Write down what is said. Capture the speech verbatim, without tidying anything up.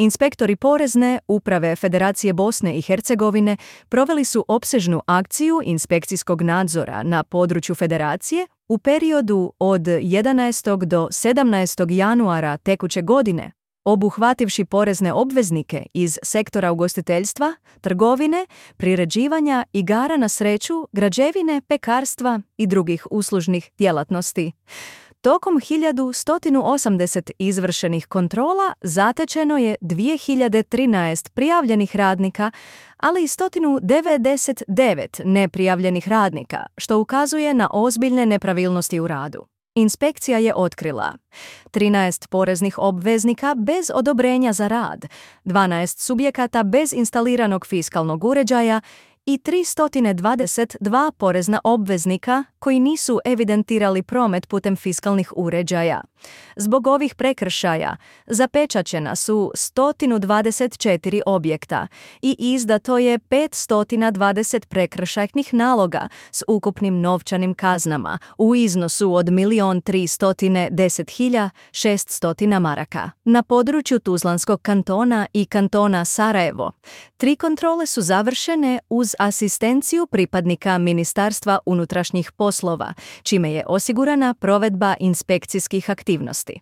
Inspektori Porezne uprave Federacije Bosne i Hercegovine proveli su opsežnu akciju inspekcijskog nadzora na području Federacije u periodu od jedanaestog do sedamnaestog januara tekuće godine, obuhvativši porezne obveznike iz sektora ugostiteljstva, trgovine, priređivanja, igara na sreću, građevine, pekarstva i drugih uslužnih djelatnosti. Tokom hiljadu sto osamdeset izvršenih kontrola zatečeno je dvije hiljade trinaest prijavljenih radnika, ali i sto devedeset devet neprijavljenih radnika, što ukazuje na ozbiljne nepravilnosti u radu. Inspekcija je otkrila trinaest poreznih obveznika bez odobrenja za rad, dvanaest subjekata bez instaliranog fiskalnog uređaja i tristo dvadeset dva porezna obveznika koji nisu evidentirali promet putem fiskalnih uređaja. Zbog ovih prekršaja zapečaćena su sto dvadeset četiri objekta i izdato je petsto dvadeset prekršajnih naloga s ukupnim novčanim kaznama u iznosu od milion tristo deset hiljada šeststo maraka. Na području Tuzlanskog kantona i kantona Sarajevo tri kontrole su završene uz asistenciju pripadnika Ministarstva unutrašnjih poslova, čime je osigurana provedba inspekcijskih aktivnosti.